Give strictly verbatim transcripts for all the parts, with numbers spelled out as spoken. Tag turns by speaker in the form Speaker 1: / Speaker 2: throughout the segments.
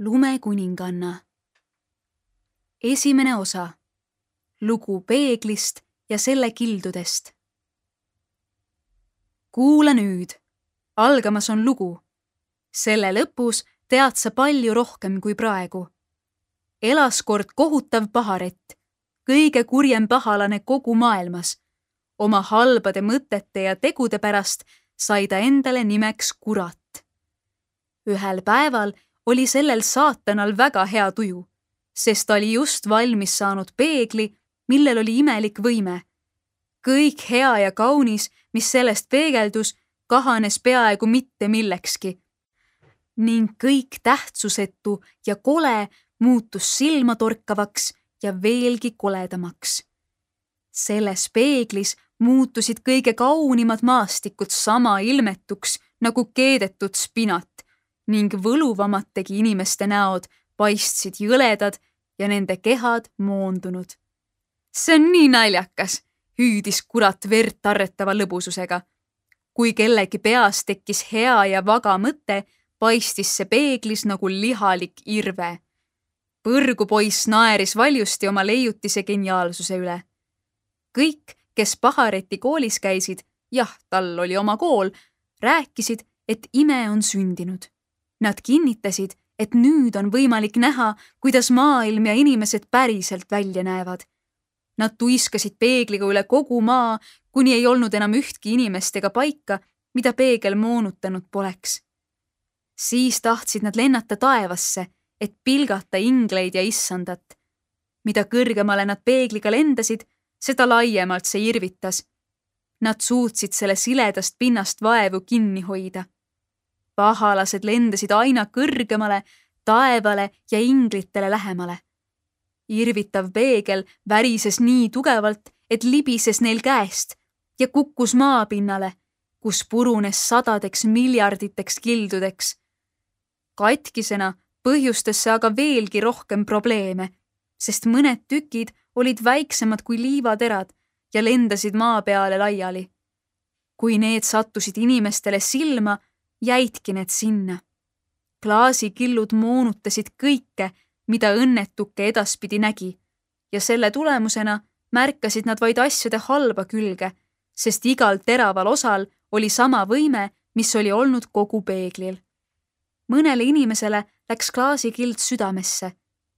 Speaker 1: Lumekuninganna. Esimene osa. Lugu peeglist ja selle kildudest. Kuula nüüd. Algamas on lugu. Selle lõpus tead sa palju rohkem kui praegu. Elas kord kohutav paharett, kõige kurjem pahalane kogu maailmas. Oma halbade mõtete ja tegude pärast sai ta endale nimeks kurat. Ühel päeval oli sellel saatanal väga hea tuju, sest ta oli just valmis saanud peegli, millel oli imelik võime. Kõik hea ja kaunis, mis sellest peegeldus, kahanes peaaegu mitte millekski. Ning kõik tähtsusetu ja kole muutus silmatorkavaks ja veelgi koledamaks. Selles peeglis muutusid kõige kaunimad maastikud sama ilmetuks nagu keedetud spinat ning võluvamad tegi inimeste näod paistsid jõledad ja nende kehad moondunud. See on nii naljakas, hüüdis kurat verd tarretava lõbususega. Kui kellegi peas tekkis hea ja vaga mõte, paistis see peeglis nagu lihalik irve. Põrgupoiss naeris valjusti oma leiutise geniaalsuse üle. Kõik, kes pahareti koolis käisid, jah, tal oli oma kool, rääkisid, et ime on sündinud. Nad kinnitasid, et nüüd on võimalik näha, kuidas maailm ja inimesed päriselt välja näevad. Nad tuiskasid peegliga üle kogu maa, kuni ei olnud enam ühtki inimest ega paika, mida peegel moonutanud poleks. Siis tahtsid nad lennata taevasse, et pilgata ingleid ja issandat. Mida kõrgemale nad peegliga lendasid, seda laiemalt see irvitas. Nad suutsid selle siledast pinnast vaevu kinni hoida. Pahalased lendasid aina kõrgemale, taevale ja inglitele lähemale. Irvitav peegel värises nii tugevalt, et libises neil käest ja kukkus maapinnale, kus purunes sadadeks miljarditeks kildudeks. Katkisena põhjustas see aga veelgi rohkem probleeme, sest mõned tükid olid väiksemad kui liivaterad ja lendasid maa peale laiali. Kui need sattusid inimestele silma, jäidki need sinna. Klaasikillud moonutasid kõike, mida õnnetuke edaspidi nägi, ja selle tulemusena märkasid nad vaid asjade halba külge, sest igal teraval osal oli sama võime, mis oli olnud kogu peeglil. Mõnele inimesele läks klaasikild südamesse,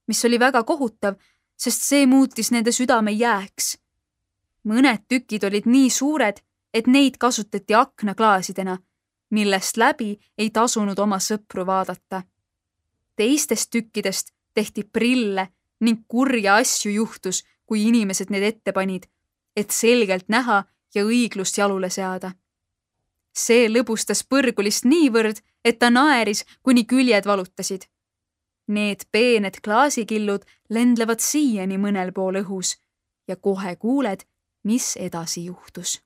Speaker 1: mis oli väga kohutav, sest see muutis nende südame jääks. Mõned tükid olid nii suured, et neid kasutati aknaklaasidena, millest läbi ei tasunud oma sõpru vaadata. Teistest tükkidest tehti prille ning kurja asju juhtus, kui inimesed need ette panid, et selgelt näha ja õiglust jalule seada. See lõbustas põrgulist niivõrd, et ta naeris, kuni küljed valutasid. Need peened klaasikillud lendlevad siiani mõnel pool õhus ja kohe kuuled, mis edasi juhtus.